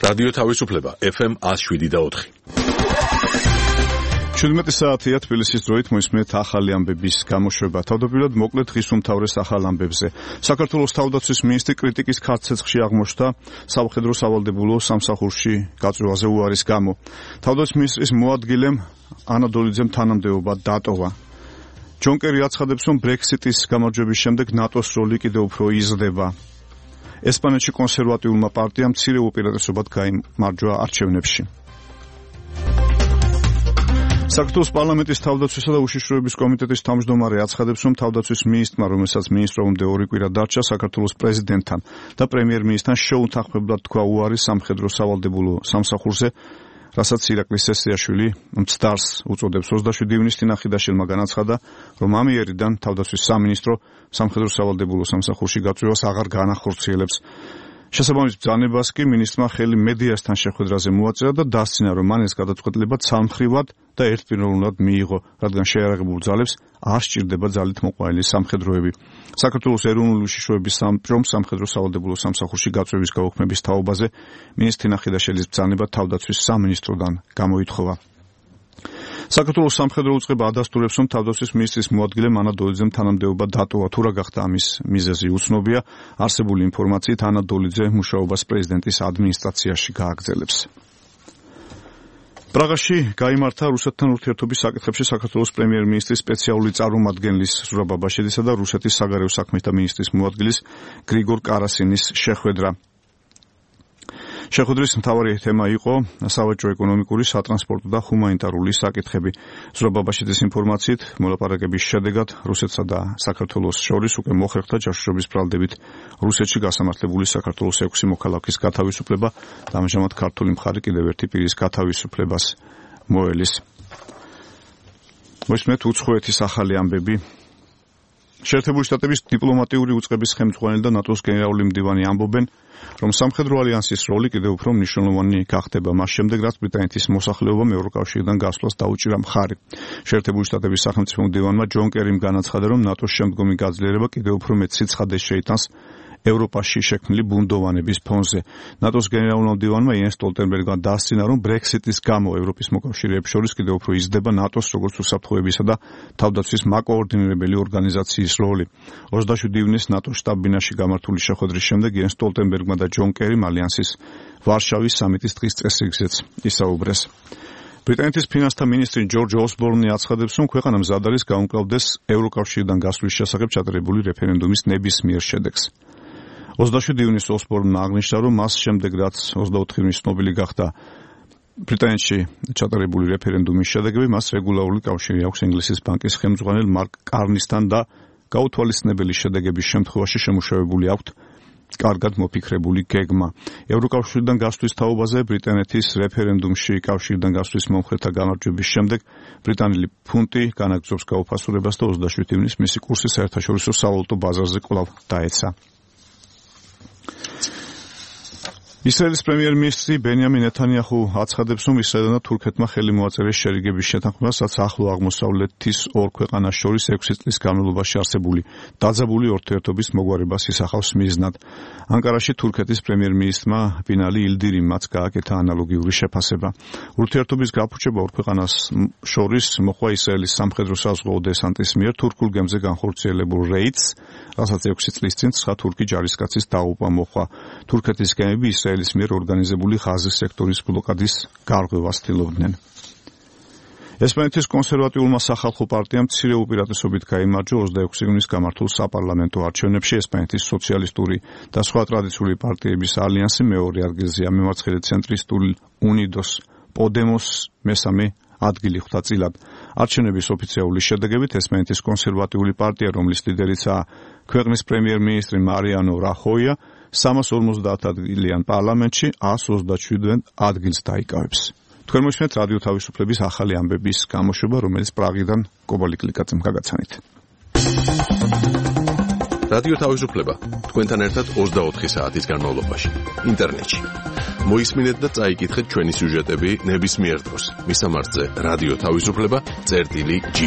რადიო თავისუფლება FM 107.4. 17 საათია თბილისის დროით მოისმენთ ახალი ამბების გამოშვება. თავდაპირველად მოკლედ დღის უმთავრეს ახალ ამბებზე. საქართველოს თავდაცვის მინისტრი კრიტიკის ქარცეცხლში აღმოჩნდა სამხედრო სავალდებულო სამსახურში გაწვევაზე უარის გამო. თავდაცვის მინისტრის მოადგილემ ანა დოლიძემ თანამდებობა დატოვა. ჯონ კერი აცხადებს, რომ ბრექსიტის გამარჯვების შემდეგ ნატოს როლი კიდევ უფრო იზრდება. ესპანეთში კონსერვატიულმა პარტიამ მცირე უპირატესობად გაიმარჯვა არჩევნებში. საქართველოს პარლამენტის თავდაცვისა და უშიშროების კომიტეტის თავმჯდომარე აცხადებს, რომ თავდაცვის მინისტრმა, რომელსაც მინისტრობამდე 2 კვირა დარჩა, საქართველოს პრეზიდენტთან და პრემიერ-მინისტრთან შეუთანხმებლად თქვა უარი სამხედრო სავალდებულო სამსახურზე, რასაც ირაკლი სესიაშვილი მცდარს უწოდებს. 27 ივნისს თინახიდაშვილმა განაცხადა, რომ ამ იერიდან თავდაცვის სამინისტრო სამხედრო სავალდებულო სამსახურში გაწვევას აღარ განახორციელებს. შესაბამის ბრძანებას კი მინისტრმა ხელი მედიასთან შეხვედრაზე მოაწერა და დასცინა, რომ მან ეს გადაწყვეტილება ცალმხრივად და ერთპიროვნულად მიიღო, რადგან შეიარაღებულ ძალებს არ სჭირდება ძალით მოყვანილი სამხედროები. საქართველოს ეროვნული უშიშროების სამჭრომ სამხედრო სავალდებულო სამსახურში გაწვევის გაუქმების თაობაზე მინისტრი თინახიდაშვილის ბრძანება თავდაცვის სამინისტროდან გამოითხოვა. საქართველოს სამხედრო უწყება ადასტურებს, რომ თავდაცვის მინისტრის მოადგილემ ანა დოლიძემ თანამდებობა დატოვა. თუ რა გახდა ამის მიზეზი უცნობია. არსებული ინფორმაციით ანა დოლიძე მუშაობას პრეზიდენტის ადმინისტრაციაში გააგრძელებს. პრაღაში გაიმართა რუსეთთან ურთიერთობის საკითხებში საქართველოს პრემიერ-მინისტრის სპეციალური წარმომადგენლის ზურაბ აბაშიძისა და რუსეთის საგარეო საქმეთა მინისტრის მოადგილის გრიგორ კარასინის შეხვედრა. შეხვედრის მთავარი თემა იყო სავაჭრო ეკონომიკური, სატრანსპორტო და ჰუმანიტარული საკითხები. ზურაბ აბაშიძის ინფორმაციით, მოლაპარაკების შედეგად რუსეთსა და საქართველოს შორის უკვე მოხერხდა ჯაშუშობის ბრალდებით რუსეთში გასამართლებული საქართველოს 6 მოქალაქის გათავისუფლება და ამჟამად ქართული მხარე კიდევ ერთი პირის გათავისუფლებას მოელის. მოისმენთ უცხოეთის ახალი ამბები. შეერთებული შტატების დიპლომატიური უწყების ხელმძღვანელი და ნატოს გენერალური მდივანი ამბობენ, რომ სამხედრო ალიანსის როლი კიდევ უფრო მნიშვნელოვანი გახდება მას შემდეგ, რაც ბრიტანეთის მოსახლეობამ ევროკავშირიდან გასვლას დაუჭირა მხარი. შეერთებული შტატების სახელმწიფო მდივანმა ჯონ კერიმ განაცხადა, რომ ნატოს შემდგომი გაძლიერება კიდევ უფრო მეტ სიცხადეს შეიტანს ევროპაში შექმნილი ბუნდოვანების ფონზე. ნატოს გენერალურმა მდივანმა იენს სტოლტენბერგმა დასცინა, რომ ბრექსიტის გამო ევროპის მოკავშირეებს შორის კიდევ უფრო იზრდება ნატოს როგორც უსაფრთხოებისა და თავდაცვის მაკოორდინირებელი ორგანიზაციის როლი. 27 ივნისს ნატოს შტაბ-ბინაში გამართული შეხვედრის შემდეგ იენს სტოლტენბერგმა და ჯონ კერიმ ალიანსის ვარშავის სამიტის დღის წესრიგზეც ისაუბრეს. ბრიტანეთის ფინანსთა მინისტრი ჯორჯ ოსბორნი აცხადებს, რომ ქვეყანა მზად არის გაუმკლავდეს ევროკავშირიდან გასვლის შესახებ ჩატარებული რეფერენდუმის ნებისმიერ შედეგს. 27 ივნისს ოსბორნმა აღნიშნა, რომ მას შემდეგ, რაც 24 ივნისს ცნობილი გახდა ბრიტანეთში ჩატარებული რეფერენდუმის შედეგები, მას რეგულარული კავშირი აქვს ინგლისის ბანკის ხელმძღვანელ მარკ კარნისთან და გაუთვალისწინებელი შედეგების შემთხვევაში შემუშავებული აქვთ კარგად მოფიქრებული გეგმა. ევროკავშირიდან გასვლის თაობაზე ბრიტანეთის რეფერენდუმში კავშირიდან გასვლის მომხრეთა გამარჯვების შემდეგ ბრიტანელი ფუნტი განაგრძობს გაუფასურებას და 27 ივნისს მისი კურსი საერთაშორისო სავალუტო ბაზარზე კვლავ დაეცა. ისრაელის პრემიერ-მინისტრი ბენიამინ ნეთანიაჰუ აცხადებს, რომ ისრაელმა და თურქეთმა ხელი მოაწერეს შერიგების შეთანხმებას, რაც ახლო აღმოსავლეთის ორ ქვეყანას შორის 6 წლის განმავლობაში არსებული დაძაბული ურთიერთობის მოგვარებას ისახავს მიზნად. ანკარაში თურქეთის პრემიერ-მინისტრმა ბინალი ილდირიმაც გააკეთა ანალოგიური შეფასება. ურთიერთობის გაფუჭება ორ ქვეყანას შორის მოხდა ისრაელის სამხედრო საზღვაო დესანტის მიერ თურქულ გემზე განხორციელებულ რეიდს, რასაც 6 წლის წინ 9 თურქი ჯარისკაცის დაღუპვა მოჰყვა. თურქეთის გემები ისრაელის მიერ ორგანიზებული ღაზის სექტორის ბლოკადის გარღვევას ცდილობდნენ. ესპანეთის კონსერვატიულმა სახალხო პარტიამ მცირე უპირატესობით გაიმარჯვა 26 ივნისს გამართულ საპარლამენტო არჩევნებში. ესპანეთის სოციალისტური და სხვა ტრადიციული პარტიების ალიანსი მეორე ადგილზეა, მემარცხენე ცენტრისტული უნიდოს პოდემოს მესამე ადგილი ხვდა წილად. არჩევნების ოფიციალური შედეგებით ესპანეთის კონსერვატიული პარტია, რომლის ლიდერიცაა ქვეყნის პრემიერ-მინისტრი მარიანო რახოია, 350 ადგილიან პარლამენტში 127 ადგილს დაიკავებს. თქვენ მოისმენთ რადიო თავისუფლების ახალი ამბების გამოშვება, რომელიც პრაღიდან კობალი კლიკაძემ გაგაცანით. რადიო თავისუფლება თქვენთან ერთად 24 საათის განმავლობაში ინტერნეტში. მოისმინეთ და წაიკითხეთ ჩვენი სიუჟეტები ნებისმიერ დროს. მისამართზე რადიო თავისუფლება წერტილი G.